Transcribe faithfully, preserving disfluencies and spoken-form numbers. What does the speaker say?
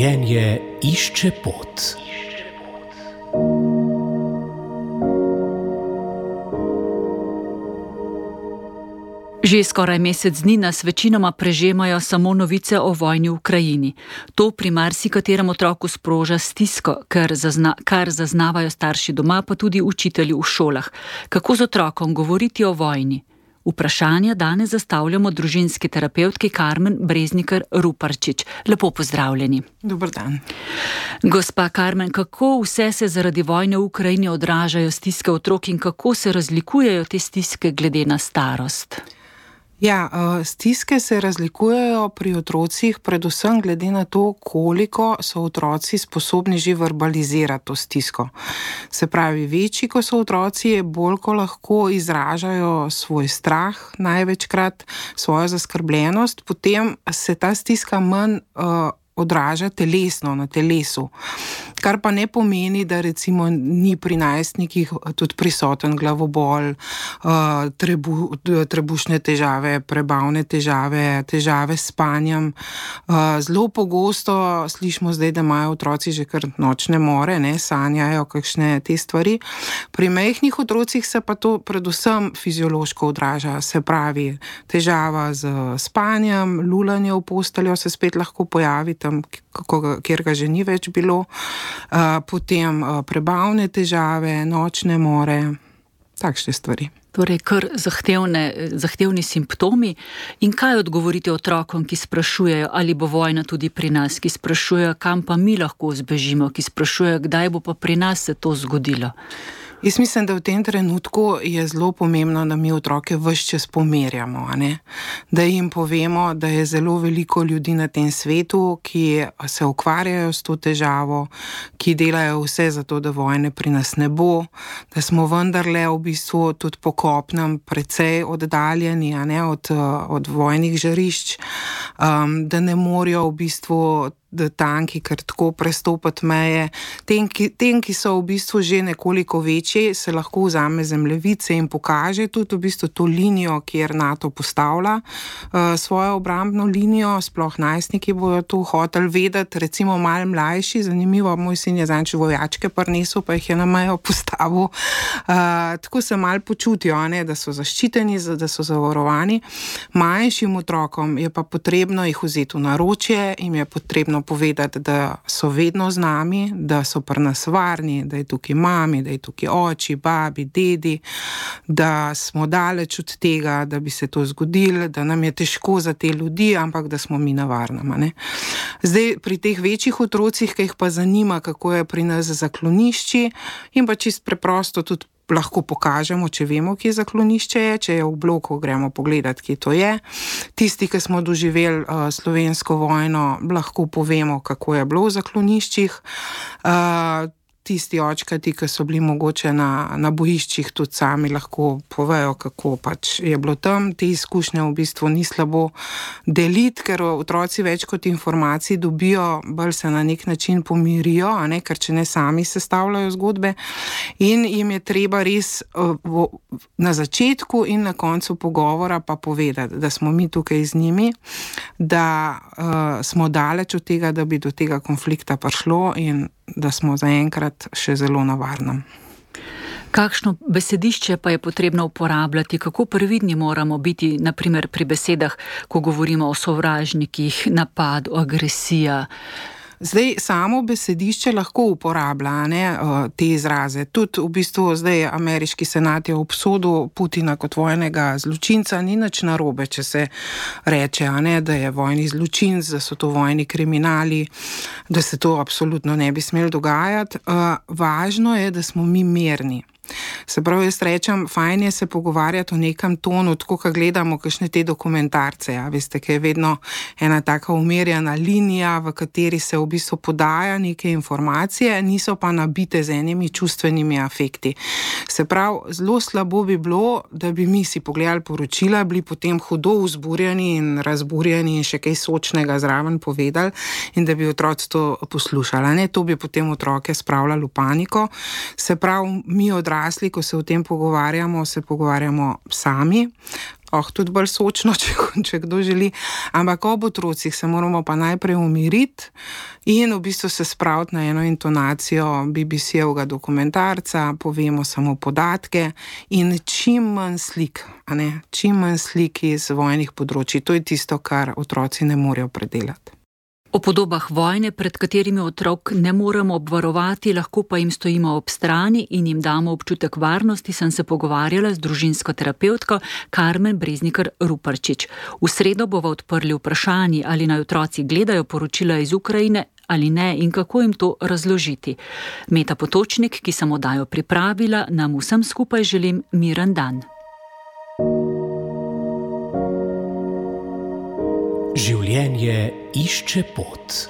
Življenje išče pot. Že skoraj mesec dni nas večinoma prežemajo samo novice o vojni v Ukrajini. To pri marsikaterem otroku sproža stisko, kar, zazna, kar zaznavajo starši doma, pa tudi učitelji v šolah. Kako z otrokom govoriti o vojni? Vprašanja danes zastavljamo družinski terapevtki Karmen Breznikar-Ruparčič. Lepo pozdravljeni. Dober dan. Gospa Karmen, kako vse se zaradi vojne v Ukrajini odražajo stiske otrok in kako se razlikujejo te stiske glede na starost? Ja, stiske se razlikujejo pri otrocih predvsem glede na to, koliko so otroci sposobni že verbalizirati to stisko. Se pravi, večji, ko so otroci, bolj ko lahko izražajo svoj strah, največkrat svojo zaskrbljenost, potem se ta stiska manj uh, odraža telesno, na telesu. Kar pa ne pomeni, da recimo ni pri najstnikih tudi prisoten glavobol, trebu, trebušne težave, prebavne težave, težave s spanjem. Zelo pogosto slišimo zdaj, da imajo otroci že kar nočne more, ne, sanjajo kakšne te stvari. Pri majhnih otrocih se pa to predvsem fiziološko odraža, se pravi težava z spanjem, lulanje v posteljo se spet lahko pojavi tam, kjer ga že ni več bilo. Uh, potem uh, prebavne težave, nočne more, takšne stvari. Torej, kar zahtevne, zahtevni simptomi. In kaj odgovorite otrokom, ki sprašujejo, ali bo vojna tudi pri nas, ki sprašujejo, kam pa mi lahko zbežimo, ki sprašujejo, kdaj bo pa pri nas se to zgodilo? Jaz mislim, da v tem trenutku je zelo pomembno, da mi otroke ves čas pomerjamo, a ne? Da jim povemo, da je zelo veliko ljudi na tem svetu, ki se ukvarjajo s to težavo, ki delajo vse za to, da vojne pri nas ne bo, da smo vendarle v bistvu tudi po kopnem precej oddaljeni, a ne, od, od vojnih žarišč, um, da ne morajo v bistvu da tanki kar tako prestopati meje. Tem ki, tem, ki so v bistvu že nekoliko večji, se lahko vzame zemljevice in pokaže tudi v bistvu to linijo, kjer NATO postavlja uh, svojo obrambno linijo, sploh najstniki bojo to hoteli vedeti, recimo malo mlajši, zanimivo, moj sin je zanč vojačke prinesel, pa jih je na mejo postavil. Uh, tako se malo počutijo, ne, da so zaščiteni, da so zavarovani. Manjšim otrokom je pa potrebno jih vzeti v naročje, jim je potrebno povedati, da so vedno z nami, da so pri nas varni, da je tukaj mami, da je tukaj oči, babi, dedi, da smo daleč od tega, da bi se to zgodilo, da nam je težko za te ljudi, ampak da smo mi na varnem, ne. Zdaj, pri teh večjih otrocih, ki jih pa zanima, kako je pri nas zaklonišči, in pa čist preprosto tudi lahko pokažemo, če vemo, kje zaklonišče je, če je v bloku, gremo pogledati, kje to je. Tisti, ki smo doživeli uh, slovensko vojno, lahko povemo, kako je bilo v zakloniščih. Uh, Tisti očkati, ki so bili mogoče na, na bojiščih, tudi sami lahko povejo, kako pač je bilo tam. Te izkušnje v bistvu ni slabo deliti, ker otroci več kot informacij dobijo, bolj se na nek način pomirijo, a ne, ker če ne sami sestavljajo zgodbe. In jim je treba res uh, v, na začetku in na koncu pogovora pa povedati, da smo mi tukaj z njimi, da uh, smo daleč od tega, da bi do tega konflikta prišlo in da smo zaenkrat še zelo na varnem. Kakšno besedišče pa je potrebno uporabljati? Kako previdni moramo biti, na primer pri besedah, ko govorimo o sovražnikih, napad, agresija? Zdaj, samo besedišče lahko uporablja, ne, te izraze. Tudi v bistvu zdaj ameriški senat je obsodil Putina kot vojnega zločinca, ni nič narobe, če se reče, a ne, da je vojni zločinc, da so to vojni kriminali, da se to absolutno ne bi smelo dogajati. Važno je, da smo mi mirni. Se pravi, jaz rečem, fajn je se pogovarjati o nekem tonu, tako ko gledamo kakšne te dokumentarce, ja, veste, ki je vedno ena taka umirjena linija, v kateri se v bistvu podaja neke informacije, niso pa nabite z enimi čustvenimi afekti. Se pravi, zelo slabo bi bilo, da bi mi si pogledali poročila, bili potem hudo vzburjeni in razburjeni in še kaj sočnega zraven povedali in da bi otroci to poslušali, ne, to bi potem otroke spravljali v paniko. Se pravi, mi odrasli, ko se o tem pogovarjamo, se pogovarjamo sami, oh, tudi bolj sočno, če, če kdo želi. Ampak ob otrocih se moramo pa najprej umiriti in v bistvu se spraviti na eno intonacijo B B C-evega dokumentarca, povemo samo podatke in čim manj slik, a ne, čim manj slik iz vojnih področji. To je tisto, kar otroci ne morejo predelati. O podobah vojne, pred katerimi otrok ne moremo obvarovati, lahko pa jim stojimo ob strani in jim damo občutek varnosti, sem se pogovarjala z družinsko terapevtko Karmen Breznikar Ruparčič. V sredo bova odprli vprašanji, ali naj otroci gledajo poročila iz Ukrajine ali ne in kako jim to razložiti. Meta Potočnik, ki sem oddajo pripravila, nam vsem skupaj želim miren dan. Življenje išče pot.